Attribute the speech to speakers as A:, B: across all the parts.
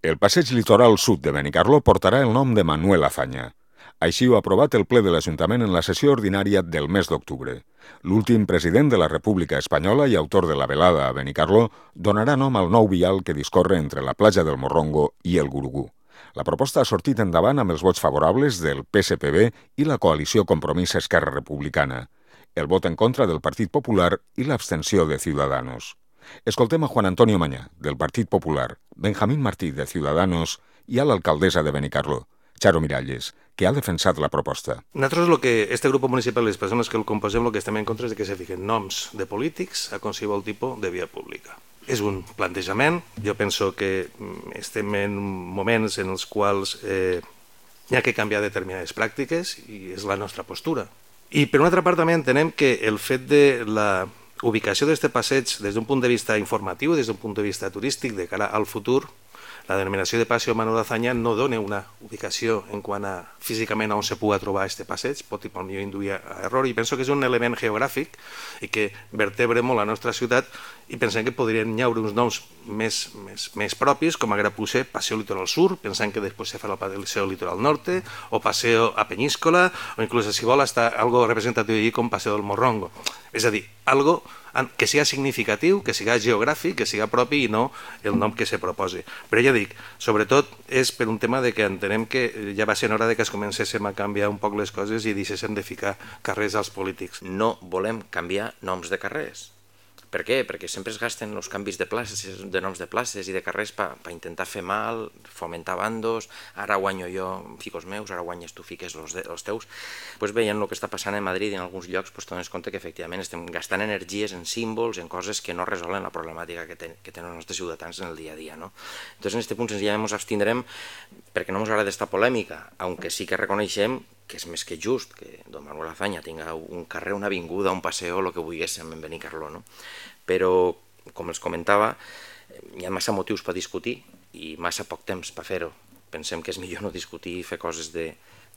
A: El passeig litoral sud de Benicarló portarà el nom de Manuel Azaña. Així ho ha aprovat el ple de l'Ajuntament en la sessió ordinària del mes d'octubre. L'últim president de la República Espanyola i autor de la velada a Benicarló donarà nom al nou vial que discorre entre la platja del Morrongo i el Gurugú. La proposta ha sortit endavant amb els vots favorables del PSPB i la coalició Compromís Esquerra Republicana, el vot en contra del Partit Popular i l'abstenció de Ciudadanos. Escoltem a Juan Antonio Mañá, del Partit Popular, Benjamín Martí, de Ciudadanos, i a l'alcaldessa de Benicarló, Charo Miralles, que ha defensat la proposta.
B: Nosaltres, este grup municipal i les persones que el composem, el que estem en contra és que se fiquen noms de polítics a qualsevol tipus de via pública. És un plantejament. Jo penso que estem en moments en els quals hi ha que canviar determinades pràctiques i és la nostra postura. I per una altra part també entenem que el fet de la ubicació d'aquest passeig des d'un punt de vista informatiu, des d'un punt de vista turístic de cara al futur, la denominació de Paseo Manuel Azaña no dona una ubicació en quant a físicament on se pugui trobar aquest passeig, pot induir a error, i penso que és un element geogràfic i que vertebra molt la nostra ciutat, i pensem que podrien hi haver uns noms més propis, com ara potser Paseo Litoral Sur, pensant que després se farà el Paseo Litoral Norte, o Paseo a Peñíscola, o inclús, si vol, hasta algo representatiu allí com Paseo del Morrongo. És a dir, algo que siga significatiu, que siga geogràfic, que siga propi i no el nom que se proposi. Però ja dic, sobretot és per un tema de que entenem que ja va ser hora de que es comencéssim a canviar un poc les coses i deixéssim de ficar carrers als polítics.
C: No volem canviar noms de carrers. Per què? Perquè sempre es gasten els canvis de places, de noms de places i de carrers per intentar fer mal, fomentar bandos, ara guanyo jo, fico els meus, ara guanyes tu, fiques els teus. Veient el que està passant a Madrid i en alguns llocs, dones compte que efectivament estem gastant energies en símbols, en coses que no resolen la problemàtica que tenen els nostres ciutadans en el dia a dia. Entonces, en aquest punt senzillament ens abstindrem perquè no ens agrada aquesta polèmica, aunque sí que reconeixem que és més que just que don Manuel Azaña tinga un carrer, una avinguda, un paseo, el que volguéssim en Benicarló, no? Però, com els comentava, hi ha massa motius per discutir i massa poc temps per fer-ho. Pensem que és millor no discutir i fer coses de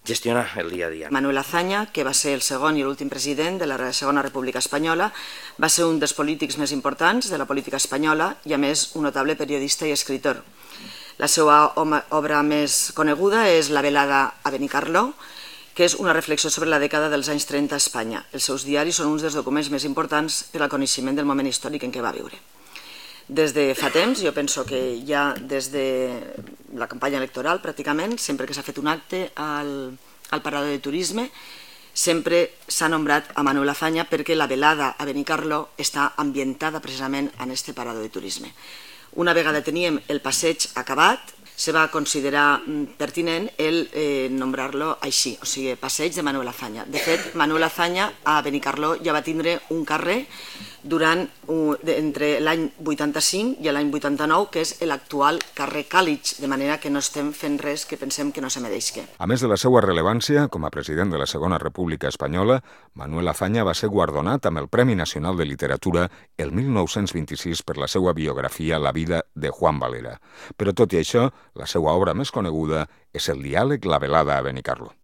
C: gestionar el dia a dia.
D: Manuel Azaña, que va ser el segon i l'últim president de la Segona República Espanyola, va ser un dels polítics més importants de la política espanyola i, a més, un notable periodista i escritor. La seva obra més coneguda és La velada a Benicarló, que és una reflexió sobre la dècada dels anys 30 a Espanya. Els seus diaris són uns dels documents més importants per al coneixement del moment històric en què va viure. Des de fa temps, jo penso que ja des de la campanya electoral, pràcticament, sempre que s'ha fet un acte al parador de turisme, sempre s'ha nombrat a Manuel Azaña perquè la velada a Benicarló està ambientada precisament en aquest parador de turisme. Una vegada teníem el passeig acabat, se va considerar pertinent el nombrar-lo així, o sigui, passeig de Manuel Azaña. De fet, Manuel Azaña a Benicarló ja va tindre un carrer entre l'any 85 i l'any 89, que és l'actual carrer Càlig, de manera que no estem fent res que pensem que no se mereixi.
A: A més de la seva rellevància com a president de la Segona República Espanyola, Manuel Azaña va ser guardonat amb el Premi Nacional de Literatura el 1926 per la seva biografia La vida de Juan Valera. Però tot i això, la seva obra més coneguda és el diàleg La velada a Benicarló.